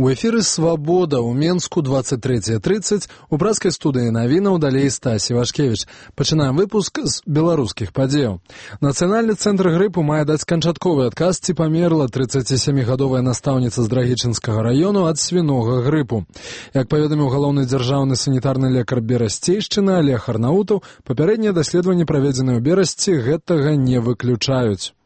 У эфіры «Свабода» ў Менску 23:30, у пражскай студыі навінаў далей Стасі Вашкевіч. Пачынаем выпуск з беларускіх падзеяў. Нацыянальны цэнтр грыпу мае даць канчатковы адказ, ці памерла 37гадовая настаўніца з Драгічынскага раёну ад свінога грыпу. Як паведаміў галоўны дзяржаўны санітарны лекар Берасцейшчыны Олег Арнаутаў, папярэднія даследаванні, праведзеныя ў Берасці, гэтага не выключаюць.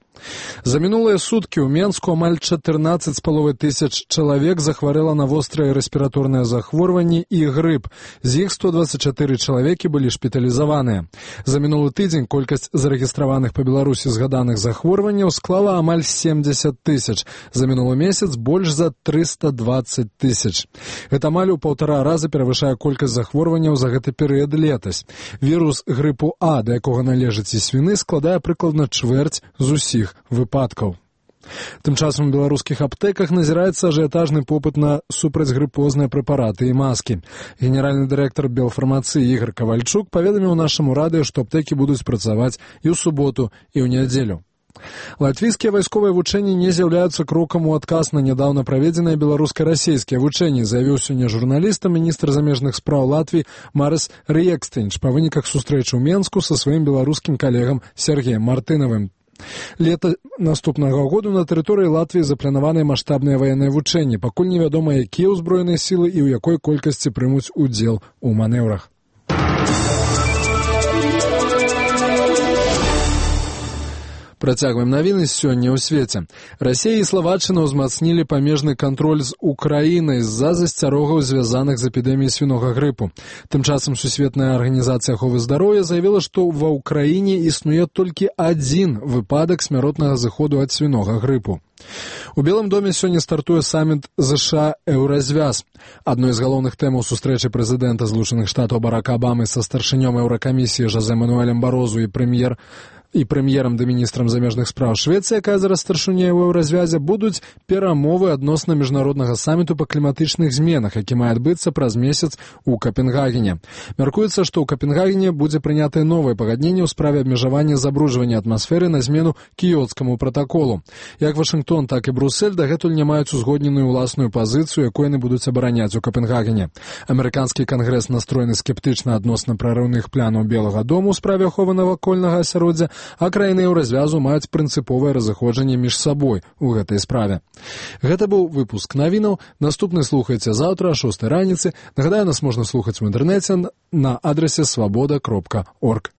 За мінулыя суткі ў Менску амаль 14,5 тысяч чалавек захварэла на вострыя рэспіраторныя захворванні і грып. З іх 124 чалавекі былі шпіталізаваныя. За мінулы тыдзень колькасць зарэгістраваных па Беларусі згаданых захворванняў склала амаль 70 тысяч. За мінулы месяц больш за 320 тысяч. Гэта амаль у 1,5 раза перавышае колькасць захворванняў за гэты перыяд летась. Вірус грыпу А, да якога належыць і свіны, складае прыкладна чвэрць з усіх выпадкаў. Тым часам у беларускіх аптэках назіраецца ажыятажны попыт на супрацьгрыпозныя прэпараты і маскі. Генеральны дырэктар Белфармацыі Ігор Кавальчук паведаміў нашаму радыё, што аптэкі будуць працаваць і ў суботу, і ў нядзелю. Латвійскія вайсковыя вучэнні не з'яўляюцца крокам у адказ на нядаўна праведзеныя беларуска-расейскія вучэнні, заявіў сёння журналістам міністр замежных спраў Латвіі Марис Риекстейнш па выніках сустрэчы ў Менску са сваім беларускім калегам Сергеем Мартынавым. Лета наступнага году на тэрыторыі Латвіі запланаваныя маштабныя ваенныя вучэнні. Пакуль невядома, якія ўзброеныя сілы і ў якой колькасці прымуць удзел у манеўрах. Працягваем навіны сёння ў свеце. Расія і Славаччына ўзмацнілі памежны кантроль з Украінай з-за засцярогаў, звязаных з эпідэміяй свінога грыпу. Тым часам Сусветная арганізацыя аховы здароўя заявіла, што ва ўкраіне існуе толькі адзін выпадак смяротнага зыходу ад свінога грыпу. У Белым доме сёння стартуе саміт ЗША «Еўразвяз». Адной з галоўных тэмаў сустрэчы прэзідэнта Злучаных Штатаў Барака Абамы са старшынём Еўракамісіі Жозе Мануэлем Барозу і прэм'ерам ды міністрам замежных спраў Швецыі, якая зараз старшыня ў Еўразвязе, будуць перамовы адносна міжнароднага саміту па кліматычных зменах, які мае адбыцца праз месяц у Капенгагене. Мяркуецца, што ў Капенгагене будзе прынятае новае пагадненне ў справе абмежавання забруджвання атмасферы на змену кіёцкаму пратаколу. Як Вашынгтон, так і Брусэль дагэтуль не маюць узгодненую ўласную пазіцыю, якую яны будуць абараняць у Капенгагене. Амерыканскі кангрэс настроены скептычна адносна прарыўных планаў Белага дому ў справе аховы навакольнага асяроддзя, а краіны Еўразвязу маюць прынцыповае разыходжанне між сабой у гэтай справе. Гэта быў выпуск навінаў. Наступны слухайце заўтра о 6 раніцы. Нагадаю, нас можна слухаць у інтэрнэце на адрасе swaboda.org.